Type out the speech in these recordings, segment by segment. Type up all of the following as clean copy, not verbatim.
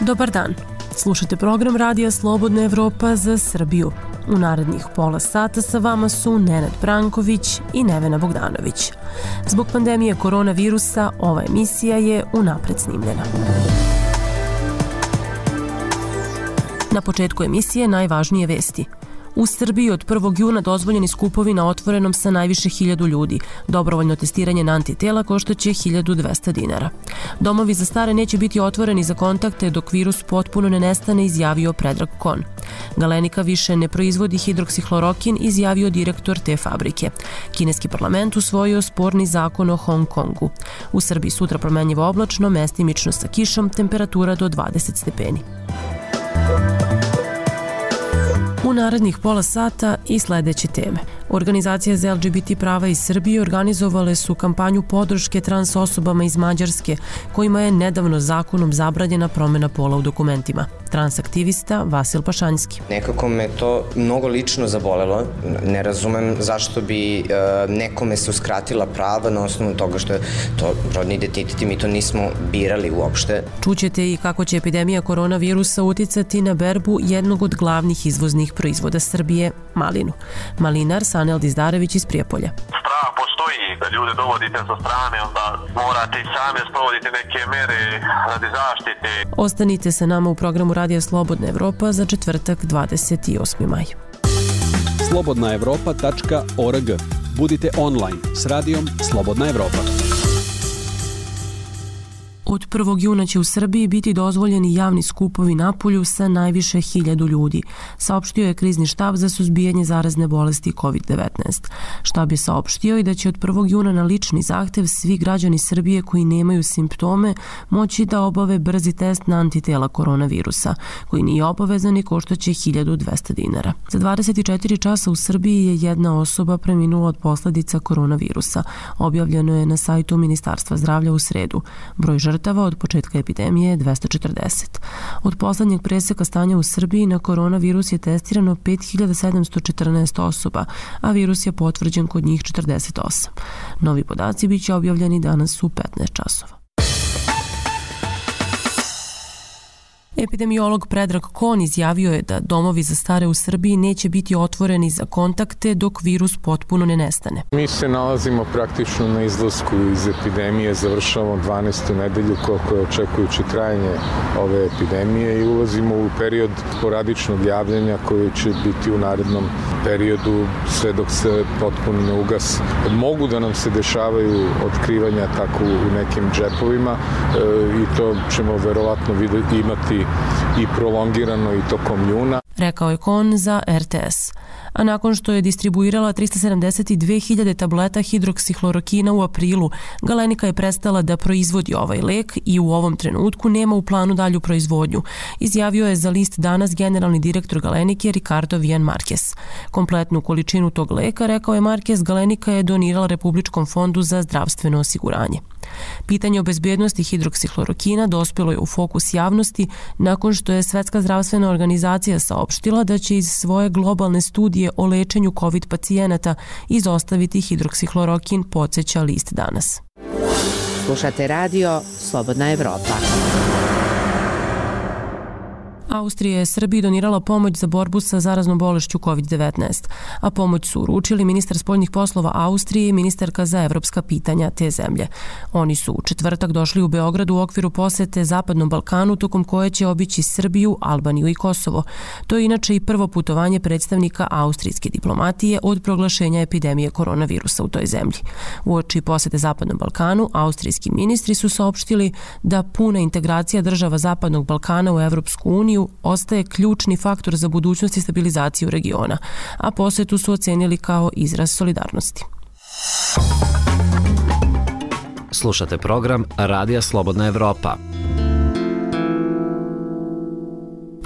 Dobar dan. Slušajte program Radija Slobodna Evropa za Srbiju. U narednih pola sata sa vama su Nenad Branković i Nevena Bogdanović. Zbog pandemije koronavirusa ova emisija je unapred snimljena. Na početku emisije najvažnije vesti. U Srbiji od 1. juna dozvoljeni skupovi na otvorenom sa najviše 1000 ljudi. Dobrovoljno testiranje na antitela koštaće 1200 dinara. Domovi za stare neće biti otvoreni za kontakte dok virus potpuno ne nestane, izjavio Predrag Kon. Galenika više ne proizvodi hidroksihlorokin, izjavio direktor te fabrike. Kineski parlament usvojio sporni zakon o Hong Kongu. U Srbiji sutra promenljivo oblačno, mestimično sa kišom, temperatura do 20 stepeni. U narednih pola sata i sledeće teme. Organizacije za LGBT prava iz Srbije organizovale su kampanju podrške trans osobama iz Mađarske, kojima je nedavno zakonom zabranjena promena pola u dokumentima. Transaktivista Vasil Pašanjski. Nekako me to mnogo lično zabolelo. Ne razumem zašto bi nekome se uskratila prava na osnovu toga što je to rodni identitet i mi to nismo birali uopšte. Čućete i kako će epidemija koronavirusa uticati na berbu jednog od glavnih izvoznih proizvoda Srbije, malinu. Malinar Sanel Dizdarević iz Prijepolja. Strah postoji da ljude dovodite sa strane, onda morate i same sprovoditi neke mere radi zaštite. Ostanite sa nama u programu Radija Slobodna Evropa za četvrtak 28. maj. slobodnaevropa.org. Budite online s radijom Slobodna Evropa. Od 1. juna će u Srbiji biti dozvoljeni javni skupovi napolju sa najviše 1000 ljudi, saopštio je krizni štab za suzbijanje zarazne bolesti COVID-19. Štab je saopštio i da će od 1. juna na lični zahtev svi građani Srbije koji nemaju simptome moći da obave brzi test na antitela koronavirusa, koji nije obavezan i koštaće 1200 dinara. Za 24 časa u Srbiji je jedna osoba preminula od posledica koronavirusa. Objavljeno je na sajtu Ministarstva zdravlja u sredu. Broj žrtava od početka epidemije je 240. Od poslednjeg preseka stanja u Srbiji na koronavirus je testirano 5714 osoba, a virus je potvrđen kod njih 48. Novi podaci biće objavljeni danas u 15 časova. Epidemiolog Predrag Kon izjavio je da domovi za stare u Srbiji neće biti otvoreni za kontakte dok virus potpuno ne nestane. Mi se nalazimo praktično na izlasku iz epidemije, završavamo 12. nedelju koliko je očekujuće trajanje ove epidemije i ulazimo u period sporadičnog javljanja koji će biti u narednom periodu sve dok se potpuno ne ugasi. Mogu da nam se dešavaju otkrivanja tako u nekim džepovima i to ćemo verovatno imati i prolongirano i tokom juna. Rekao je Kon za RTS. A nakon što je distribuirala 372.000 tableta hidroksihlorokina u aprilu, Galenika je prestala da proizvodi ovaj lek i u ovom trenutku nema u planu dalju proizvodnju, izjavio je za list Danas generalni direktor Galenike Ricardo Vian Marquez. Kompletnu količinu tog leka, rekao je Marquez, Galenika je donirala Republičkom fondu za zdravstveno osiguranje. Pitanje o bezbednosti hidroksihlorokina dospelo je u fokus javnosti nakon što je Svetska zdravstvena organizacija saopštila da će iz svoje globalne studije o lečenju COVID pacijenata izostaviti hidroksihlorokin, podsjeća list Danas. Slušate radio Slobodna Evropa. Austrija je Srbiji donirala pomoć za borbu sa zaraznom bolešću COVID-19, a pomoć su uručili ministar spoljnih poslova Austrije i ministarka za evropska pitanja te zemlje. Oni su u četvrtak došli u Beograd u okviru posete Zapadnom Balkanu, tokom koje će obići Srbiju, Albaniju i Kosovo. To je inače i prvo putovanje predstavnika austrijske diplomatije od proglašenja epidemije koronavirusa u toj zemlji. Uoči posete Zapadnom Balkanu, austrijski ministri su saopštili da puna integracija država Zapadnog Balkana u Evropsku uniju ostaje ključni faktor za budućnost i stabilizaciju regiona, a posetu su ocenili kao izraz solidarnosti. Slušate program Radija Slobodna Evropa.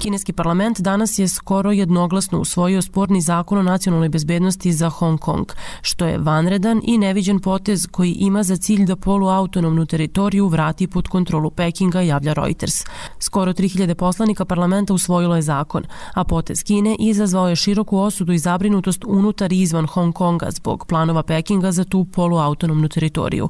Kineski parlament danas je skoro jednoglasno usvojio sporni zakon o nacionalnoj bezbednosti za Hong Kong, što je vanredan i neviđen potez koji ima za cilj da poluautonomnu teritoriju vrati pod kontrolu Pekinga, javlja Reuters. Skoro 3000 poslanika parlamenta usvojilo je zakon, a potez Kine izazvao je široku osudu i zabrinutost unutar i izvan Hong Konga zbog planova Pekinga za tu poluautonomnu teritoriju.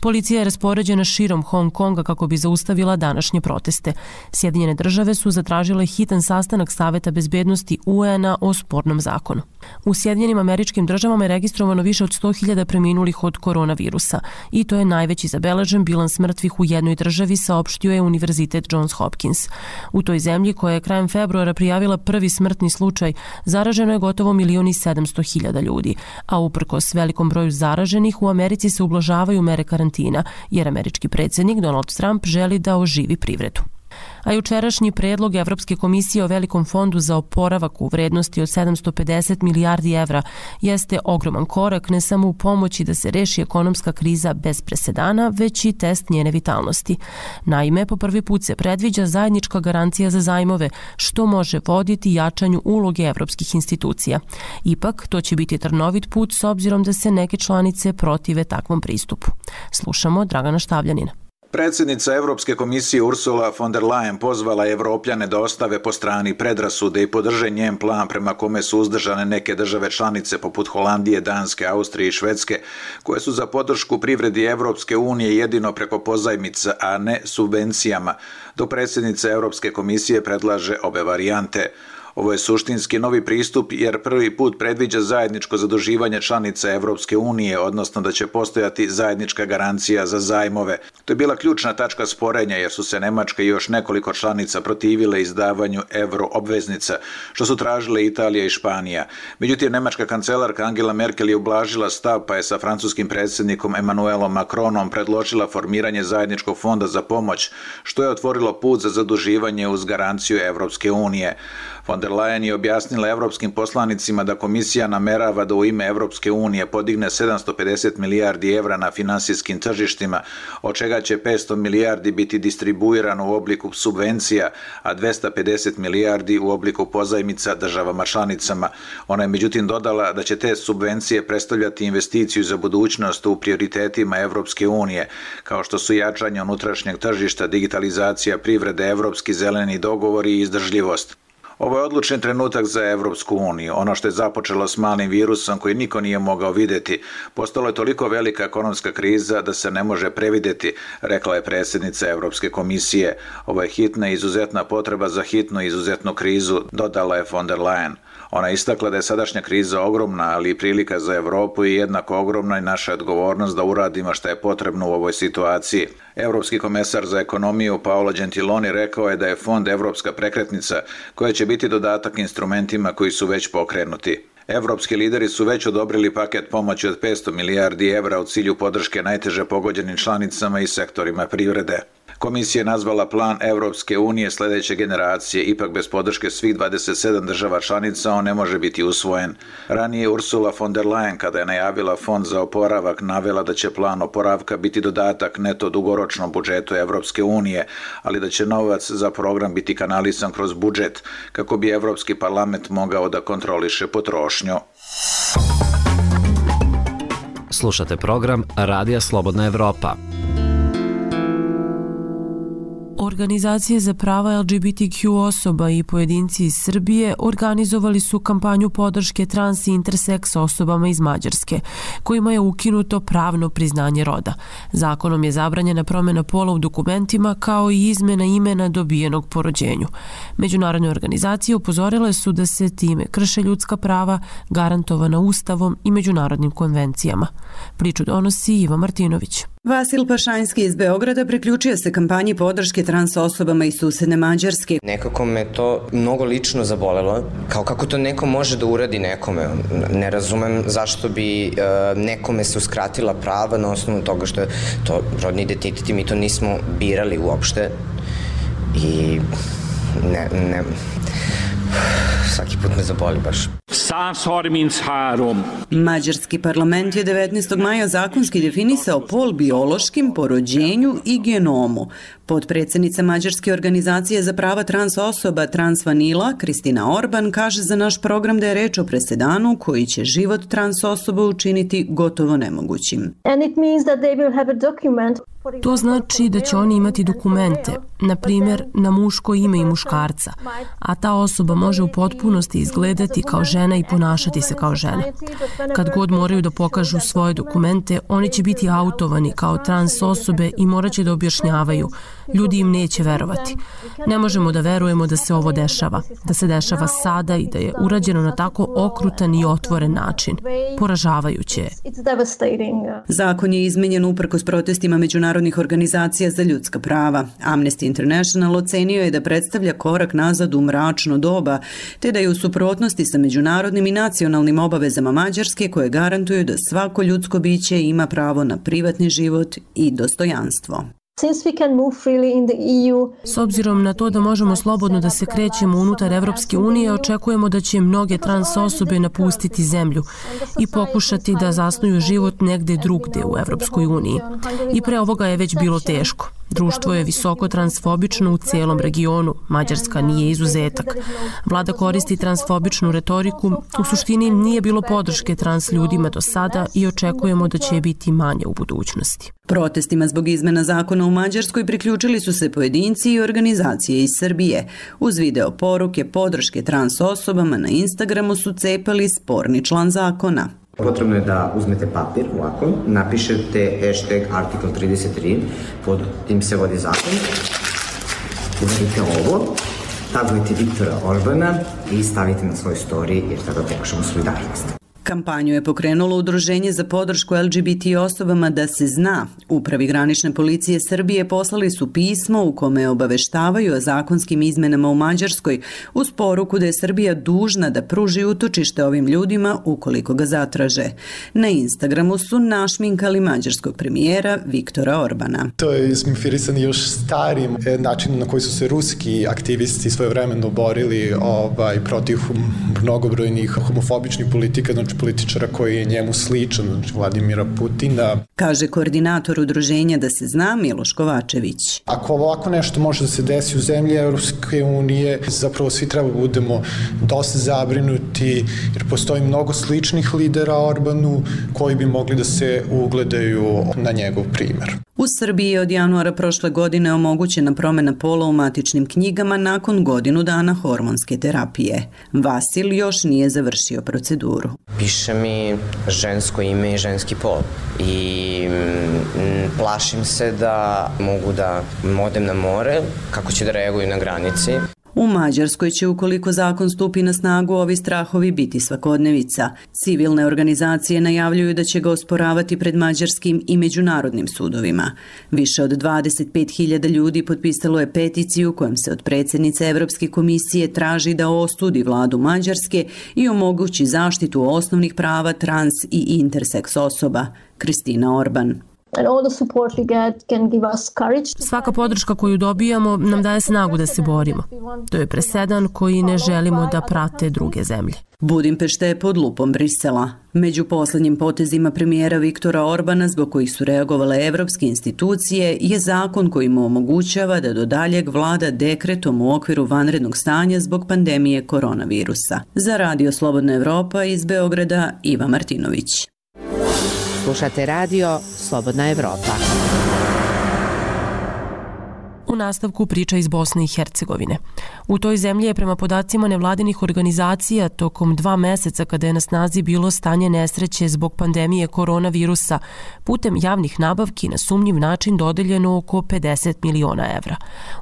Policija je raspoređena širom Hong Konga kako bi zaustavila današnje proteste. Sjedinjene države su zatražile hitan sastanak Saveta bezbednosti UN-a o spornom zakonu. U Sjedinjenim Američkim Državama je registrovano više od 100.000 preminulih od koronavirusa i to je najveći zabeležen bilans mrtvih u jednoj državi, saopštio je Univerzitet Johns Hopkins. U toj zemlji, koja je krajem februara prijavila prvi smrtni slučaj, zaraženo je gotovo 1.700.000 ljudi, a uprkos velikom broju zaraženih u Americi se ublažavaju mere karantina, jer američki predsjednik Donald Trump želi da oživi privredu. A jučerašnji predlog Evropske komisije o velikom fondu za oporavak u vrednosti od 750 milijardi evra jeste ogroman korak ne samo u pomoći da se reši ekonomska kriza bez presedana, već i test njene vitalnosti. Naime, po prvi put se predviđa zajednička garancija za zajmove, što može voditi jačanju uloge evropskih institucija. Ipak, to će biti trnovit put s obzirom da se neke članice protive takvom pristupu. Slušamo Dragana Štavljanina. Predsjednica Evropske komisije Ursula von der Leyen pozvala Evropljane da ostave po strani predrasude i podrže njen plan prema kome su uzdržane neke države članice poput Holandije, Danske, Austrije i Švedske, koje su za podršku privredi Evropske unije jedino preko pozajmica, a ne subvencijama, dok predsjednica Evropske komisije predlaže obe varijante. Ovo je suštinski novi pristup jer prvi put predviđa zajedničko zaduživanje članica Evropske unije, odnosno da će postojati zajednička garancija za zajmove. To je bila ključna tačka sporenja jer su se Nemačka i još nekoliko članica protivile izdavanju euroobveznica, što su tražile Italija i Španija. Međutim, nemačka kancelarka Angela Merkel je ublažila stav pa je sa francuskim predsjednikom Emmanuelom Macronom predložila formiranje zajedničkog fonda za pomoć, što je otvorilo put za zaduživanje uz garanciju Evropske unije. Von der Leyen je objasnila evropskim poslanicima da komisija namerava da u ime Evropske unije podigne 750 milijardi evra na finansijskim tržištima, od čega će 500 milijardi biti distribuirano u obliku subvencija, a 250 milijardi u obliku pozajmica državama članicama. Ona je međutim dodala da će te subvencije predstavljati investiciju za budućnost u prioritetima Evropske unije, kao što su jačanje unutrašnjeg tržišta, digitalizacija privrede, evropski zeleni dogovori i izdržljivost. Ovo je odlučni trenutak za Evropsku uniju. Ono što je započelo s malim virusom koji niko nije mogao vidjeti, postalo je toliko velika ekonomska kriza da se ne može previdjeti, rekla je predsjednica Evropske komisije. Ovo je hitna i izuzetna potreba za hitnu i izuzetnu krizu, dodala je von der Leyen. Ona je istakla da je sadašnja kriza ogromna, ali i prilika za Europu i jednako ogromna i naša odgovornost da uradimo što je potrebno u ovoj situaciji. Evropski komesar za ekonomiju Paolo Gentiloni rekao je da je fond Evropska prekretnica koja će biti dodatak instrumentima koji su već pokrenuti. Evropski lideri su već odobrili paket pomoći od 500 milijardi evra u cilju podrške najteže pogođenim članicama i sektorima privrede. Komisija je nazvala plan Evropske unije sljedeće generacije, ipak bez podrške svih 27 država članica on ne može biti usvojen. Ranije Ursula von der Leyen, kada je najavila fond za oporavak, navela da će plan oporavka biti dodatak neto dugoročnom budžetu Evropske unije, ali da će novac za program biti kanalisan kroz budžet, kako bi Evropski parlament mogao da kontroliše potrošnju. Slušate program Radija Slobodna Evropa. Organizacije za prava LGBTQ osoba i pojedinci iz Srbije organizovali su kampanju podrške trans i interseks osobama iz Mađarske, kojima je ukinuto pravno priznanje roda. Zakonom je zabranjena promjena pola u dokumentima kao i izmena imena dobijenog po rođenju. Međunarodne organizacije upozorile su da se time krše ljudska prava garantovana Ustavom i međunarodnim konvencijama. Priču donosi Iva Martinović. Vasil Pašanjski iz Beograda priključio se kampanji podrške trans osobama iz susedne Mađarske. Nekako me to mnogo lično zabolelo. Kako to neko može da uradi nekome? Ne razumem zašto bi nekome se uskratila prava na osnovu toga što je to rodni identitet i mi to nismo birali uopšte. I ne... Svaki put me zaboli baš. Mađarski parlament je 19. maja zakonski definisao pol biološkim, po rođenju i genomu. Potpredsjednica Mađarske organizacije za prava trans osoba Transvanila, Kristina Orban, kaže za naš program da je reč o presedanu koji će život trans osoba učiniti gotovo nemogućim. To znači da će oni imati dokumente, na primjer na muško ime i muškarca, a ta osoba može u potpunosti izgledati kao žena i ponašati se kao žena. Kad god moraju da pokažu svoje dokumente, oni će biti autovani kao trans osobe i morat će da objašnjavaju. Ljudi im neće verovati. Ne možemo da verujemo da se ovo dešava, da se dešava sada i da je urađeno na tako okrutan i otvoren način. Poražavajuće je. Zakon je izmenjen uprkos protestima međunarodnih organizacija za ljudska prava. Amnesty International ocenio je da predstavlja korak nazad u mračno doba, te da je u suprotnosti sa međunarodnim i nacionalnim obavezama Mađarske koje garantuju da svako ljudsko biće ima pravo na privatni život i dostojanstvo. S obzirom na to da možemo slobodno da se krećemo unutar Evropske unije, očekujemo da će mnoge trans osobe napustiti zemlju i pokušati da zasnuju život negde drugde u Evropskoj uniji. I pre ovoga je već bilo teško. Društvo je visoko transfobično u cijelom regionu, Mađarska nije izuzetak. Vlada koristi transfobičnu retoriku, u suštini nije bilo podrške trans ljudima do sada i očekujemo da će je biti manje u budućnosti. Protestima zbog izmena zakona u Mađarskoj priključili su se pojedinci i organizacije iz Srbije. Uz video poruke podrške trans osobama na Instagramu su cepali sporni član zakona. Potrebno je da uzmete papir ovako, napišete hashtag article 33, pod tim se vodi zakon, uradite ovo, tagujete Viktora Orbana i stavite na svoj story jer tada pokažemo solidarnost. Kampanju je pokrenulo Udruženje za podršku LGBT osobama Da se zna. Upravi granične policije Srbije poslali su pismo u kome obaveštavaju o zakonskim izmenama u Mađarskoj uz poruku da je Srbija dužna da pruži utočište ovim ljudima ukoliko ga zatraže. Na Instagramu su našminkali mađarskog premijera Viktora Orbana. To je sminfirisano još starim načinom na koji su se ruski aktivisti svojevremeno borili protiv mnogobrojnih homofobičnih politika, političara koji je njemu sličan, Vladimira Putina. Kaže koordinator udruženja Da se zna Miloš Kovačević. Ako ovako nešto može da se desi u zemlji Evropske unije, zapravo svi treba budemo dosta zabrinuti, jer postoji mnogo sličnih lidera Orbanu koji bi mogli da se ugledaju na njegov primer. U Srbiji je od januara prošle godine omogućena promena pola u matičnim knjigama nakon godinu dana hormonske terapije. Vasil još nije završio proceduru. Piše mi žensko ime i ženski pol i plašim se da mogu da odem na more, kako će da reaguju na granici. U Mađarskoj će, ukoliko zakon stupi na snagu, ovi strahovi biti svakodnevica. Civilne organizacije najavljuju da će ga osporavati pred mađarskim i međunarodnim sudovima. Više od 25.000 ljudi potpisalo je peticiju kojom se od predsjednice Evropske komisije traži da ostudi vladu Mađarske i omogući zaštitu osnovnih prava trans i interseks osoba. Kristina Orban. Svaka podrška koju dobijamo nam daje snagu da se borimo. To je presedan koji ne želimo da prate druge zemlje. Budimpešta je pod lupom Brisela. Među poslednjim potezima premijera Viktora Orbana, zbog kojih su reagovale evropske institucije, je zakon koji mu omogućava da do daljeg vlada dekretom u okviru vanrednog stanja zbog pandemije koronavirusa. Za Radio Slobodna Evropa iz Beograda, Iva Martinović. Slušate radio Slobodna Evropa. U nastavku priča iz Bosne i Hercegovine. U toj zemlji je prema podacima nevladinih organizacija tokom 2 meseca kada je na snazi bilo stanje nesreće zbog pandemije koronavirusa putem javnih nabavki na sumnjiv način dodeljeno oko 50 miliona evra.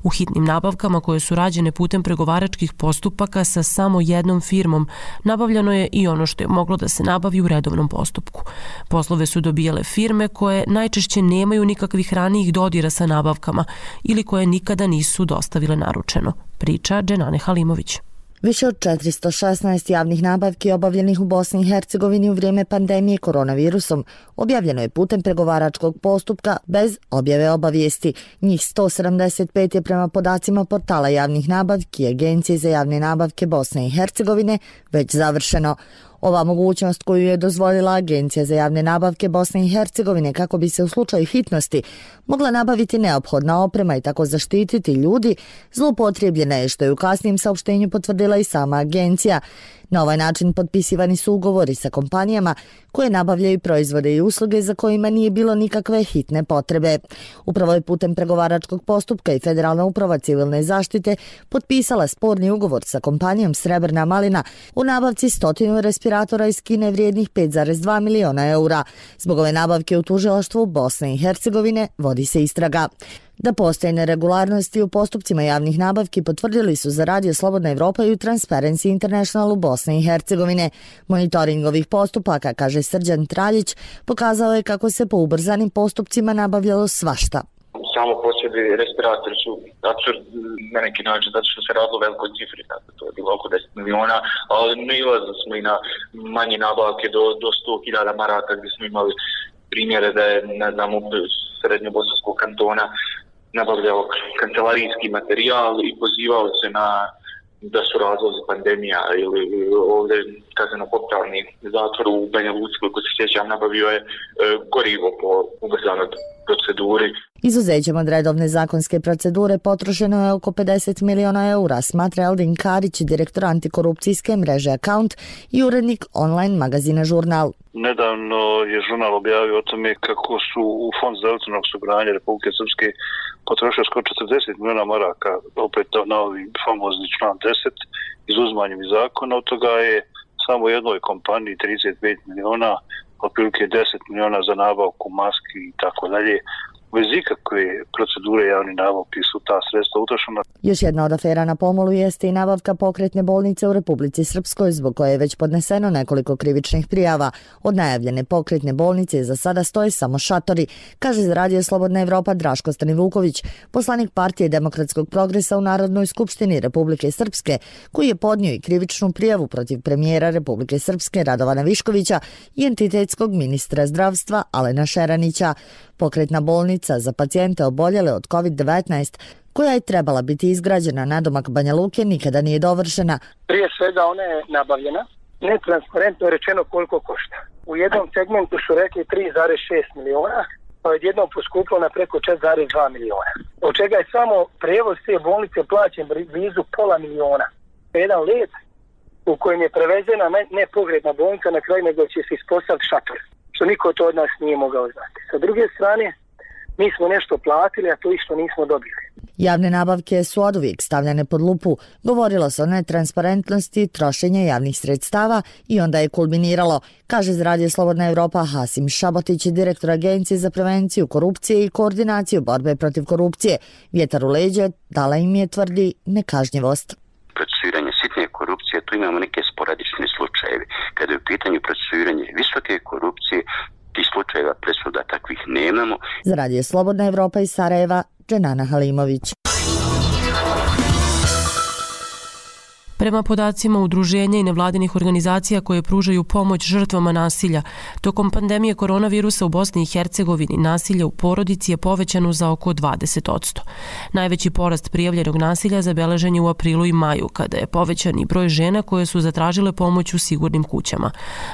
U hitnim nabavkama koje su rađene putem pregovaračkih postupaka sa samo jednom firmom nabavljano je i ono što je moglo da se nabavi u redovnom postupku. Poslove su dobijale firme koje najčešće nemaju nikakvih ranijih dodira sa nabavkama ili koje nikada nisu dostavile naručeno, priča Dženane Halimović. Više od 416 javnih nabavki obavljenih u Bosni i Hercegovini u vrijeme pandemije koronavirusom objavljeno je putem pregovaračkog postupka bez objave obavijesti. Njih 175 je prema podacima portala javnih nabavki i Agencije za javne nabavke Bosne i Hercegovine već završeno. Ova mogućnost koju je dozvolila Agencija za javne nabavke Bosne i Hercegovine kako bi se u slučaju hitnosti mogla nabaviti neophodna oprema i tako zaštititi ljudi, zloupotrijebljena je, što je u kasnijem saopštenju potvrdila i sama agencija. Na ovaj način potpisivani su ugovori sa kompanijama koje nabavljaju proizvode i usluge za kojima nije bilo nikakve hitne potrebe. Upravo je putem pregovaračkog postupka i Federalna uprava civilne zaštite potpisala sporni ugovor sa kompanijom Srebrna malina u nabavci 100 respiratora iz Kine vrijednih 5,2 miliona eura. Zbog ove nabavke u tužilaštvu Bosne i Hercegovine vodi se istraga. Da postoje neregularnosti u postupcima javnih nabavki potvrdili su za Radio Slobodna Evropa i u Transparency International u Bosne i Hercegovine. Monitoring ovih postupaka, kaže Srđan Traljić, pokazao je kako se po ubrzanim postupcima nabavljalo svašta. Samo po sebi respiratori su absurd na neki način, zato što se radilo velikoj cifri, to je bilo oko 10 miliona, ali nailazili smo i na manje nabavke do 100.000 maraka, gdje smo imali primjere da je, ne znam, srednjobosanskog kantona nabavljao kancelarijski materijal i pozivao se na da su razlozi pandemija ili ovdje kazneno-popravni zatvor u Banja Luci, koliko se sjećam, nabavio je gorivo po ubrzanoj proceduri. Izuzećem od redovne zakonske procedure potrošeno je oko 50 miliona eura, smatra Eldin Karić, direktor antikorupcijske mreže Account i urednik online magazina Žurnal. Nedavno je žurnal objavio o tome kako su u Fond zdravstvenog osiguranja Republike Srpske potrošili skoro 40 miliona maraka, opet na ovi famozni član 10, izuzmanjem iz zakona. Od toga je samo jednoj kompaniji 35 miliona, otprilike 10 miliona za nabavku maski i tako dalje. Bez ikakve procedure javne nabavke su ta sredstva utrošena. Još jedna od afera na pomolu jeste i nabavka pokretne bolnice u Republici Srpskoj, zbog koje je već podneseno nekoliko krivičnih prijava. Od najavljene pokretne bolnice za sada stoje samo šatori, kaže za Radio Slobodna Evropa Draško Stanivuković, poslanik Partije demokratskog progresa u Narodnoj skupštini Republike Srpske, koji je podnio i krivičnu prijavu protiv premijera Republike Srpske Radovana Viškovića i entitetskog ministra zdravstva Alena Šeranića. Pokretna bolnica za pacijente oboljele od COVID-19, koja je trebala biti izgrađena nadomak Banja Luke, nikada nije dovršena. Prije svega ona je nabavljena, netransparentno je rečeno koliko košta. U jednom segmentu su rekli 3,6 miliona, pa je jednom poskupilo na preko 4,2 miliona. Od čega je samo prevoz te bolnice plaćen blizu pola miliona. Jedan let u kojem je prevezena ne pogrebna bolnica, na kraju nego će se ispostaviti šator, što niko to od nas nije mogao znati. Sa druge strane, mi smo nešto platili, a to isto nismo dobili. Javne nabavke su oduvijek stavljane pod lupu. Govorilo se o netransparentnosti trošenja javnih sredstava i onda je kulminiralo, kaže za Radio Slobodna Evropa Hasim Šabotić, direktor Agencije za prevenciju korupcije i koordinaciju borbe protiv korupcije. Vjetar u leđe dala im je, tvrdi, nekažnjivost. Procesuiranje sitne korupcije, tu imamo neke sporadične slučajevi. Kada je u pitanju procesuiranje visoke korupcije, tih slučajeva presuda takvih nemamo. Za Radio Slobodna Evropa iz Sarajeva, Dženana Halimović. Prema podacima udruženja i nevladinih organizacija koje pružaju pomoć žrtvama nasilja, tokom pandemije koronavirusa u Bosni i Hercegovini nasilje u porodici je povećano za oko 20%. Najveći porast prijavljenog nasilja zabeležen je u aprilu i maju, kada je povećan i broj žena koje su zatražile pomoć u sigurnim kućama.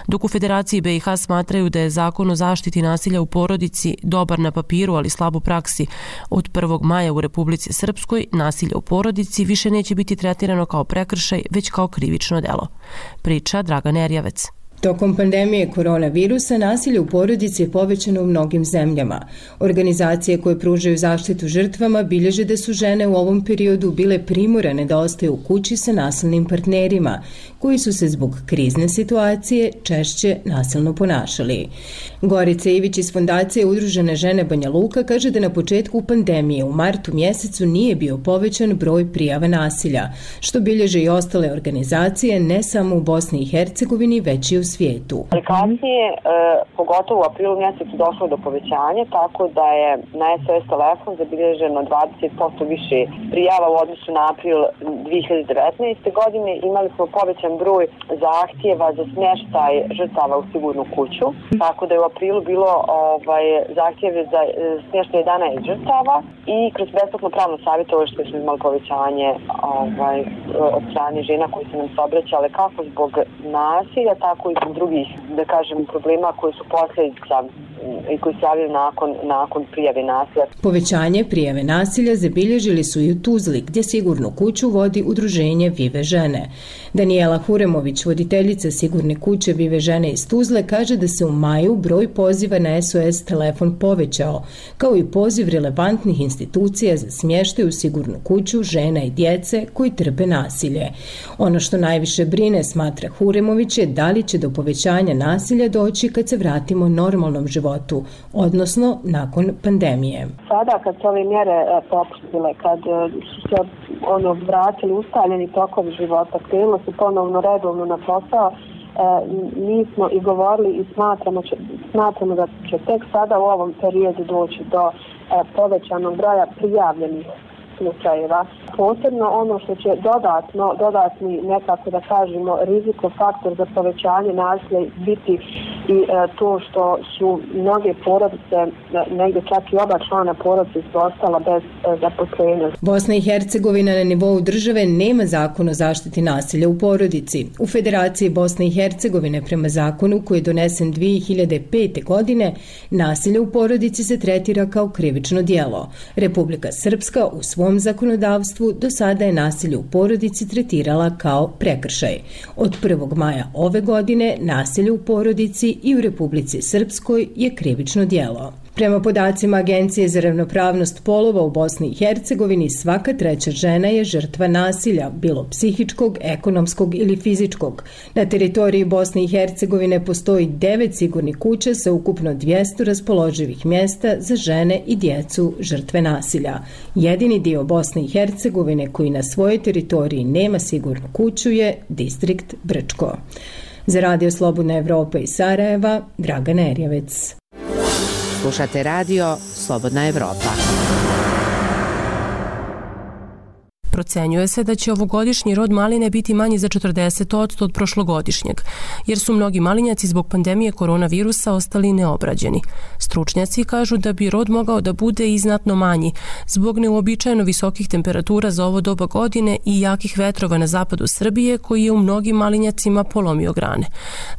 Dok u Federaciji BiH smatraju da je zakon o zaštiti nasilja u porodici dobar na papiru, ali slab u praksi, od 1. maja u Republici Srpskoj nasilje u porodici više neće biti tretirano kao prekršaj, već kao krivično delo. Priča Dragan Erjavec. Tokom pandemije koronavirusa nasilje u porodici je povećano u mnogim zemljama. Organizacije koje pružaju zaštitu žrtvama bilježe da su žene u ovom periodu bile primorane da ostaju u kući sa nasilnim partnerima, koji su se zbog krizne situacije češće nasilno ponašali. Gorica Ivić iz Fondacije Udružene žene Banja Luka kaže da na početku pandemije u martu mjesecu nije bio povećan broj prijava nasilja, što bilježe i ostale organizacije ne samo u Bosni i Hercegovini, već i u svijetu. Aplikacije, pogotovo u aprilu mjesecu, došlo do povećanja, tako da je na SOS telefon zabilježeno 20% više prijava u odnosu na april 2019. godine. Imali smo povećan broj zahtjeva za smještaj žrtava u sigurnu kuću, tako da je u aprilu bilo zahtjeve za smještaj 11 žrtava i kroz besplatno pravno savjetovanje smo imali povećanje od strane žena koji su nam se obraćale kako zbog nasilja, tako i nekih drugih, da kažem, problema koji su posljedica i koji se javljaju nakon prijave nasilja. Povećanje prijave nasilja zabilježili su i u Tuzli, gdje sigurnu kuću vodi udruženje Vive žene. Daniela Huremović, voditeljica sigurne kuće Vive žene iz Tuzle, kaže da se u maju broj poziva na SOS telefon povećao, kao i poziv relevantnih institucija za smještaj u sigurnu kuću žena i djece koji trpe nasilje. Ono što najviše brine, smatra Huremović, je da li će do povećanja nasilja doći kad se vratimo normalnom životu, odnosno nakon pandemije. Sada kad se ove mjere popustile, kad su se vratili ustaljeni tokovi života, krenulo se ponovno redovno na posao, mi smo i govorili i smatramo da će tek sada u ovom periodu doći do povećanog broja prijavljenih slučajeva. Posebno ono što će dodatni nekako da kažemo rizikofaktor za povećanje nasilja biti i to što su mnoge porodice, negdje čak i oba člana porodice su ostala bez zaposlenja. Bosna i Hercegovina na nivou države nema zakon o zaštiti nasilja u porodici. U Federaciji Bosne i Hercegovine prema zakonu koji je donesen 2005. godine, nasilje u porodici se tretira kao krivično djelo. Republika Srpska u svom zakonodavstvu do sada je nasilje u porodici tretirala kao prekršaj. Od 1. maja ove godine nasilje u porodici i u Republici Srpskoj je krivično djelo. Prema podacima Agencije za ravnopravnost polova u Bosni i Hercegovini, svaka treća žena je žrtva nasilja, bilo psihičkog, ekonomskog ili fizičkog. Na teritoriji Bosne i Hercegovine postoji 9 sigurnih kuća sa ukupno 200 raspoloživih mjesta za žene i djecu žrtve nasilja. Jedini dio Bosne i Hercegovine koji na svojoj teritoriji nema sigurnu kuću je distrikt Brčko. Za Radio Slobodna Evropa iz Sarajeva, Dragana Erjevec. Slušate radio Slobodna Evropa. Procenjuje se da će ovogodišnji rod maline biti manji za 40% od prošlogodišnjeg, jer su mnogi malinjaci zbog pandemije koronavirusa ostali neobrađeni. Stručnjaci kažu da bi rod mogao da bude i znatno manji, zbog neuobičajeno visokih temperatura za ovo doba godine i jakih vetrova na zapadu Srbije, koji je u mnogim malinjacima polomio grane.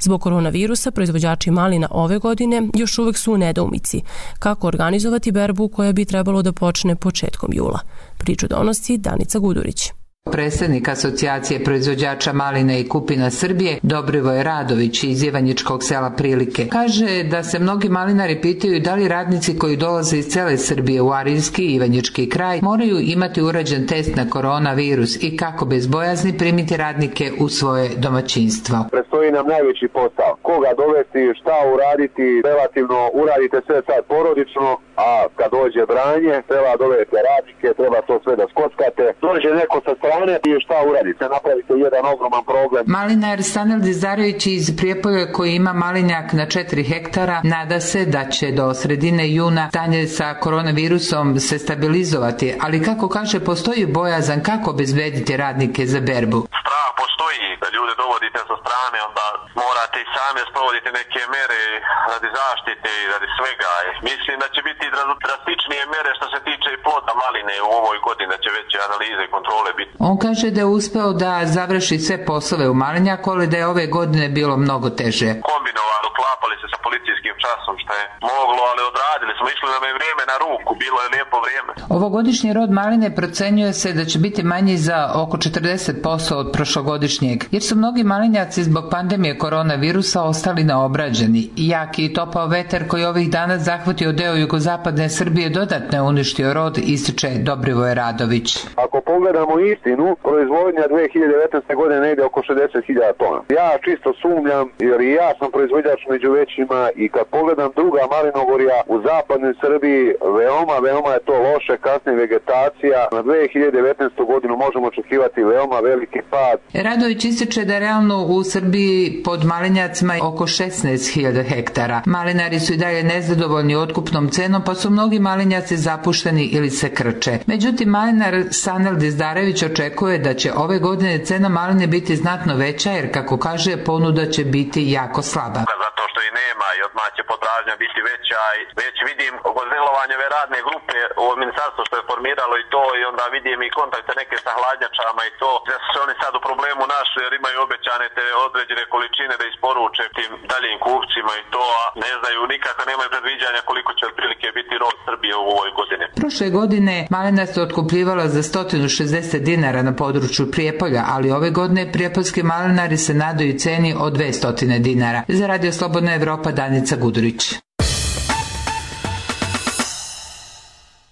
Zbog koronavirusa proizvođači malina ove godine još uvek su u nedoumici kako organizovati berbu koja bi trebalo da počne početkom jula. Priču donosi Danica Gudurić. Predsjednik Asocijacije proizvođača maline i kupina Srbije, Dobrivoje Radović iz Ivanjičkog sela Prilike, kaže da se mnogi malinari pitaju da li radnici koji dolaze iz cele Srbije u Arilski i Ivanjički kraj moraju imati urađen test na koronavirus i kako bez bojazni primiti radnike u svoje domaćinstvo. Predstoji nam najveći posao. Koga dovesti, šta uraditi, relativno uradite sve sad porodično, a kad dođe branje, treba dovesti radnike, treba to sve da skockate. Dođe neko sa strane i šta uradite, napravite jedan ogroman problem. Malinar Stanel Dizarević iz Prijepolja koji ima malinjak na 4 hektara nada se da će do sredine juna stanje sa koronavirusom se stabilizovati, ali kako kaže postoji bojazan kako obezbediti radnike za berbu. Strah postoji da ljude dovodite sa strane, onda morate i sami sprovoditi neke mere radi zaštite i radi svega. Mislim da će biti drastičnije mere što se tiče i ploda maline u ovoj godini, da će veće analize i kontrole biti. On kaže da je uspeo da završi sve poslove u malinjaku, ali da je ove godine bilo mnogo teže. Kombinovano, klapali se sa policijskim časom, što je moglo, ali odradili smo, išli nam je vrijeme na ruku, bilo je lijepo vrijeme. Ovogodišnji rod maline procenjuje se da će biti manji za oko 40% od prošlogodišnjeg, jer su mnogi malinjaci zbog pandemije koronavirusa ostali neobrađeni. Jaki i topao vetar koji ovih dana zahvatio deo jugozapadne Srbije dodatno je uništio rod, ističe Dobrivoje Radović. Ako pogledamo istinu, proizvodnja 2019. godine negdje oko 60.000 tona. Ja čisto sumnjam, jer i ja sam proizvođač među većima i kad pogledam druga malinogorja u zapadnoj Srbiji, veoma je to loše, kasnije vegetacija. Na 2019. godinu možemo očekivati veoma veliki pad. Radović ističe da realno u Srbiji pod malinjacima oko 16.000 hektara. Malinari su i dalje nezadovoljni otkupnom cenom, pa su mnogi malinjaci zapušteni ili se krče. Međutim, malinar Sanel Dizdarević očekuje da će ove godine cena maline biti znatno veća, jer kako kaže, ponuda će biti jako slaba. Zato što i nema i odmah će potražnja biti veća i već vidim delovanje ove radne grupe u ministarstvu što je formiralo i to i onda vidim i kontakte neke sa hladnjačama i to da su oni sad u problemu naši jer imaju obećane te određene količine da isporuče tim daljim kupcima i to, a ne znaju nikako, nemaju predviđanja koliko će otprilike biti rod Srbije u ovoj godini. Prošle godine malina se otkupljivala za 160 dinara na području Prijepolja, ali ove godine prijepoljski malinari se nadaju ceni od 200 dinara. Za Radio Slobodna Evropa, Danica Gudurić.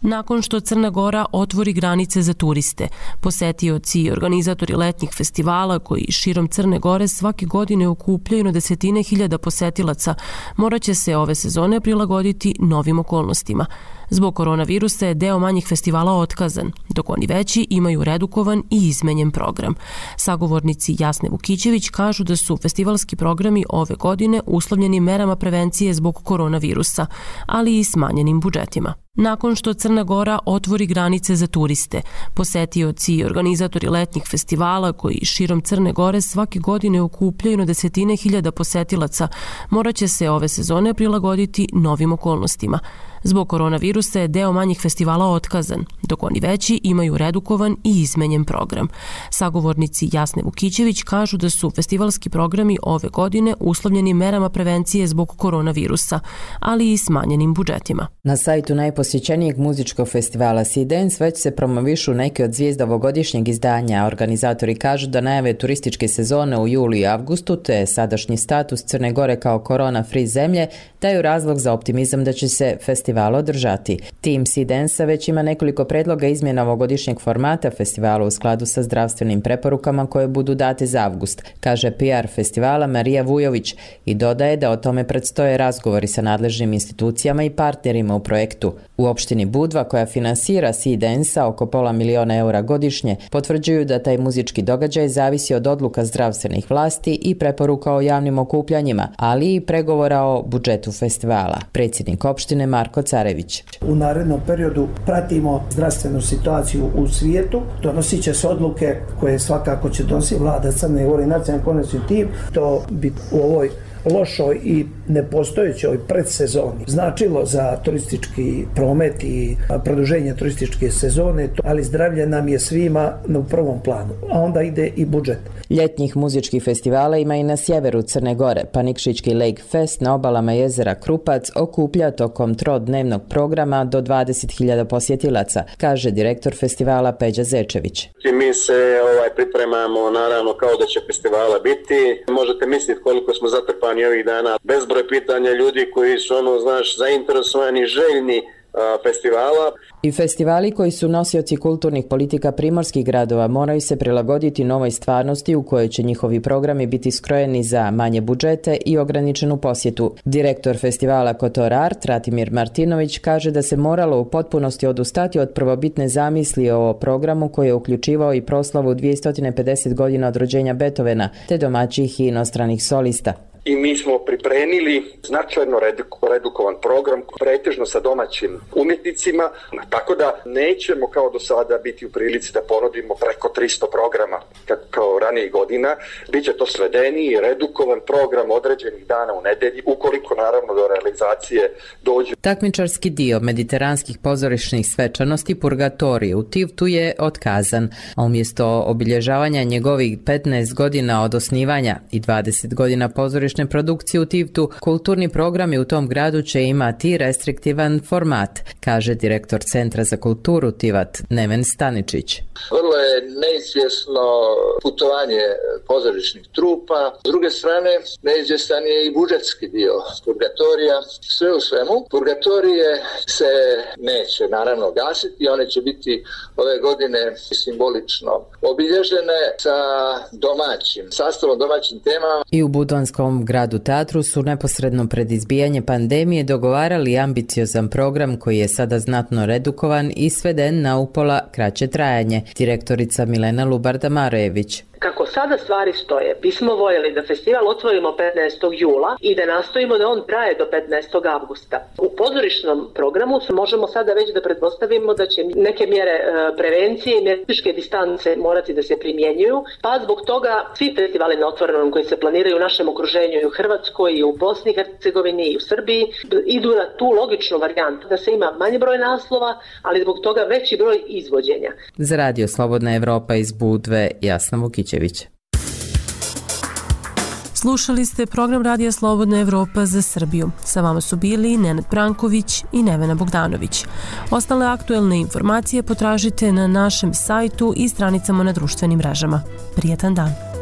Nakon što Crna Gora otvori granice za turiste, posetioci i organizatori letnjih festivala koji širom Crne Gore svake godine okupljaju na desetine hiljada posetilaca, morat će se ove sezone prilagoditi novim okolnostima. Zbog koronavirusa je deo manjih festivala otkazan, dok oni veći imaju redukovan i izmenjen program. Sagovornici Jasne Vukićević kažu da su festivalski programi ove godine uslovljeni merama prevencije zbog koronavirusa, ali i smanjenim budžetima. Nakon što Crna Gora otvori granice za turiste, posetioci i organizatori letnjih festivala koji širom Crne Gore svake godine okupljaju na desetine hiljada posetilaca, morat će se ove sezone prilagoditi novim okolnostima. Zbog koronavirusa je deo manjih festivala otkazan, dok oni veći imaju redukovan i izmenjen program. Sagovornici Jasne Vukićević kažu da su festivalski programi ove godine uslovljeni merama prevencije zbog koronavirusa, ali i smanjenim budžetima. Na sajtu najposjećenijeg muzičkog festivala Sea Dance već se promovišu neke od zvijezda ovogodišnjeg izdanja. Organizatori kažu da najave turističke sezone u julu i avgustu te sadašnji status Crne Gore kao korona-free zemlje daju razlog za optimizam da će se festival održati. Tim Sea Dance već ima nekoliko predloga izmjena ovogodišnjeg formata festivala u skladu sa zdravstvenim preporukama koje budu date za avgust, kaže PR festivala Marija Vujović i dodaje da o tome predstoje razgovori sa nadležnim institucijama i partnerima u projektu. U opštini Budva, koja finansira Sea Dance-a oko $500.000 eura godišnje, potvrđuju da taj muzički događaj zavisi od odluka zdravstvenih vlasti i preporuka o javnim okupljanjima, ali i pregovora o budžetu festivala. Predsjednik opštine Marko Carević. U narednom periodu pratimo zdravstvenu situaciju u svijetu, donosit će se odluke koje svakako će donositi vlada Crne Gore i nacionalni koordinacioni tim. To bi u ovoj lošoj i nepostojećoj predsezoni značilo za turistički promet i produženje turističke sezone, ali zdravlje nam je svima u prvom planu, a onda ide i budžet. Ljetnjih muzičkih festivala ima i na sjeveru Crne Gore, pa Nikšićki Lake Fest na obalama jezera Krupac okuplja tokom trodnevnog programa do 20.000 posjetilaca, kaže direktor festivala Peđa Zečević. Mi se pripremamo naravno kao da će festivala biti. Možete misliti koliko smo zatrpani ovih dana. Bezbroj pitanja ljudi koji su zainteresovani, željni festivala. I festivali koji su nosioci kulturnih politika primorskih gradova moraju se prilagoditi novoj stvarnosti u kojoj će njihovi programi biti skrojeni za manje budžete i ograničenu posjetu. Direktor festivala Kotor Art, Ratimir Martinović, kaže da se moralo u potpunosti odustati od prvobitne zamisli o programu koji je uključivao i proslavu 250 godina od rođenja Beethovena, te domaćih i inostranih solista. I mi smo pripremili značajno redukovan program, pretežno sa domaćim umjetnicima, tako da nećemo kao do sada biti u prilici da ponudimo preko 300 programa kao ranijih godina. Biće to svedeni i redukovan program određenih dana u nedelji, ukoliko naravno do realizacije dođe. Takmičarski dio mediteranskih pozorišnih svečanosti Purgatorije u Tivtu je otkazan, a umjesto obilježavanja njegovih 15 godina od osnivanja i 20 godina pozorišne produkcije u Tivtu, kulturni programi u tom gradu će imati restriktivan format, kaže direktor Centra za kulturu Tivat Neven Staničić. Vrlo je neizvjesno putovanje pozorišnih trupa. S druge strane, neizvjestan je i budžetski dio Purgatorija. Sve u svemu, Purgatorije se neće naravno gasiti, one će biti ove godine simbolično obilježene sa domaćim sastavom, domaćim temama. I u Budvanskom gradu teatru su neposredno pred izbijanje pandemije dogovarali ambiciozan program koji je sada znatno redukovan i sveden na upola kraće trajanje. Direktorica Milena Lubarda Marojević. Kako Kako sada stvari stoje, bismo voljeli da festival otvorimo 15. jula i da nastojimo da on traje do 15. avgusta. U pozorišnom programu možemo sada već da pretpostavimo da će neke mjere prevencije i fizičke distance morati da se primjenjuju, pa zbog toga svi festivali na otvorenom koji se planiraju u našem okruženju i u Hrvatskoj i u Bosni i Hercegovini i u Srbiji idu na tu logičnu varijantu da se ima manji broj naslova, ali zbog toga veći broj izvođenja. Za Radio Slobodna Evropa iz Budve, Jasna Vukićević. Slušali ste program Radija Slobodna Evropa za Srbiju. Sa vama su bili Nenad Branković i Nevena Bogdanović. Ostale aktuelne informacije potražite na našem sajtu i stranicama na društvenim mrežama. Prijetan dan.